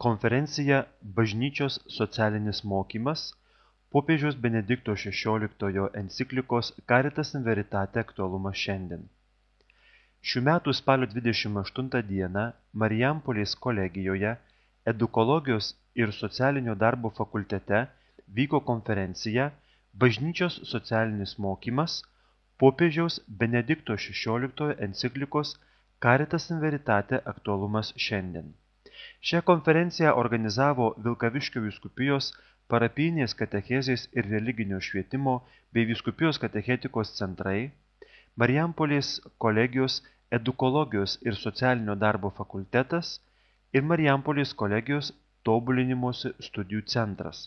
Konferencija Bažnyčios socialinis mokymas popiežiaus Benedikto XVI enciklikos Caritas in Veritate aktualumas šiandien. Šių metų spalio 28 dieną Marijampolės kolegijoje Edukologijos ir socialinio darbo fakultete vyko konferencija Bažnyčios socialinis mokymas popiežiaus Benedikto XVI enciklikos Caritas in Veritate aktualumas šiandien. Šią konferenciją organizavo Vilkaviškio vyskupijos parapijinės katechezės ir religinio švietimo bei vyskupijos katechetikos centrai, Marijampolės kolegijos Edukologijos ir socialinio darbo fakultetas ir Marijampolės kolegijos tobulinimosi studijų centras.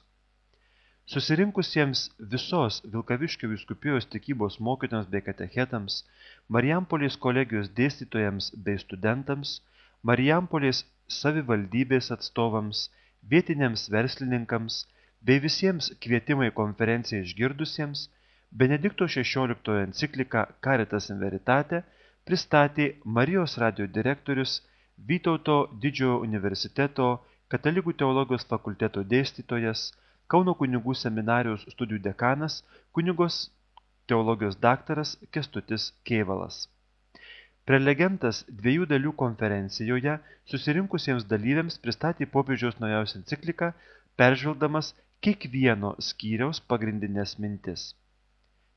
Susirinkusiems visos Vilkaviškio vyskupijos tikybos mokytojams bei katechetams, Marijampolės kolegijos dėstytojams bei studentams, Marijampolės savivaldybės atstovams, vietiniams verslininkams bei visiems kvietimai konferenciją išgirdusiems, Benedikto XVI encikliką Caritas in Veritate pristatė Marijos radijo direktorius, Vytauto Didžiojo universiteto Katalikų teologijos fakulteto dėstytojas, Kauno kunigų seminarijos studijų dekanas, kunigos teologijos daktaras Kęstutis Kėvalas. Prelegentas 2 dalių konferencijoje susirinkusiems dalyviams pristatė popiežiaus naujausią encikliką, peržvelgdamas kiekvieno skyriaus pagrindines mintis.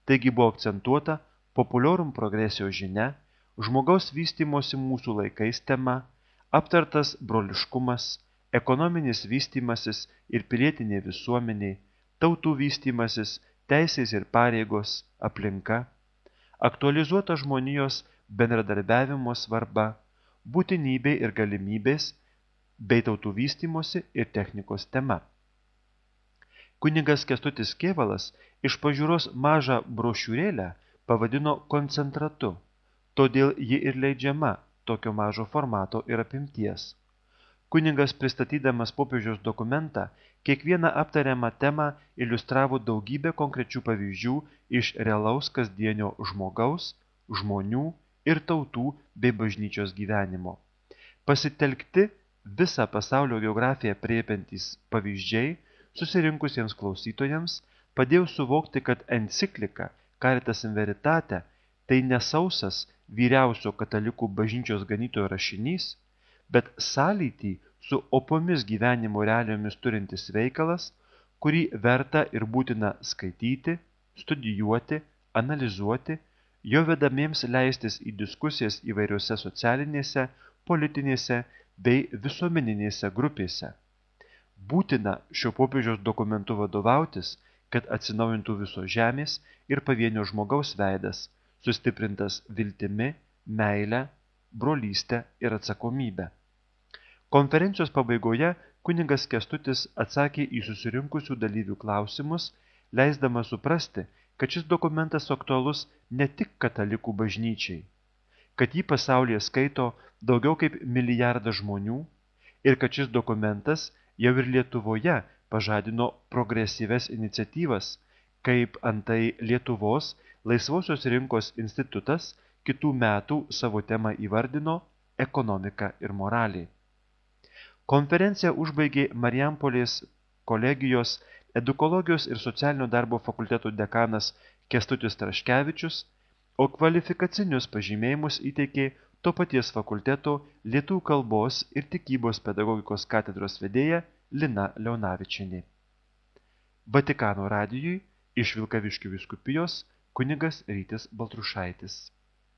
Taigi buvo akcentuota populorum progresio žinia, žmogaus vystymosi mūsų laikais tema, aptartas broliškumas, ekonominis vystymasis ir pilietinė visuomenė, tautų vystymasis, teisės ir pareigos, aplinka, aktualizuota žmonijos bendradarbiavimo svarba, būtinybė ir galimybės bei tautų vystymosi ir technikos tema. Kunigas Kęstutis Kėvalas iš pažiūros mažą brošiūrėlę pavadino koncentratu, todėl ji ir leidžiama tokio mažo formato ir apimties. Kunigas pristatydamas popiežiaus dokumentą kiekvieną aptariamą temą iliustravo daugybę konkrečių pavyzdžių iš realaus kasdienio žmogaus, žmonių ir tautų bei bažnyčios gyvenimo. Pasitelkti visą pasaulio geografiją aprėpiantys pavyzdžiai susirinkusiems klausytojams padėjo suvokti, kad enciklika Caritas in Veritate tai nesausas vyriausio katalikų bažnyčios ganytojo rašinys, bet sąlytį su opomis gyvenimo realijomis turintis veikalas, kurį verta ir būtina skaityti, studijuoti, analizuoti, jo vedamiems leistis į diskusijas įvairiose socialinėse, politinėse bei visuomeninėse grupėse. Būtina šio popiežiaus dokumentu vadovautis, kad atsinaujintų visos žemės ir pavienio žmogaus veidas, sustiprintas viltimi, meile, brolystę ir atsakomybę. Konferencijos pabaigoje kunigas Kęstutis atsakė į susirinkusių dalyvių klausimus, leisdamas suprasti, kad šis dokumentas aktualus ne tik katalikų bažnyčiai, kad jį pasaulyje skaito daugiau kaip 1 milijardas žmonių ir kad šis dokumentas jau ir Lietuvoje pažadino progresyves iniciatyvas, kaip antai Lietuvos Laisvosios rinkos institutas kitų metų savo temą įvardino ekonomika ir moralė. Konferenciją užbaigė Marijampolės kolegijos Edukologijos ir socialinio darbo fakulteto dekanas Kęstutis Traškevičius, o kvalifikacinius pažymėjimus įteikė to paties fakulteto lietuvių kalbos ir tikybos pedagogikos katedros vedėja Lina Leonavičienė. Vatikano radijui iš Vilkaviškio vyskupijos kunigas Rytis Baltrušaitis.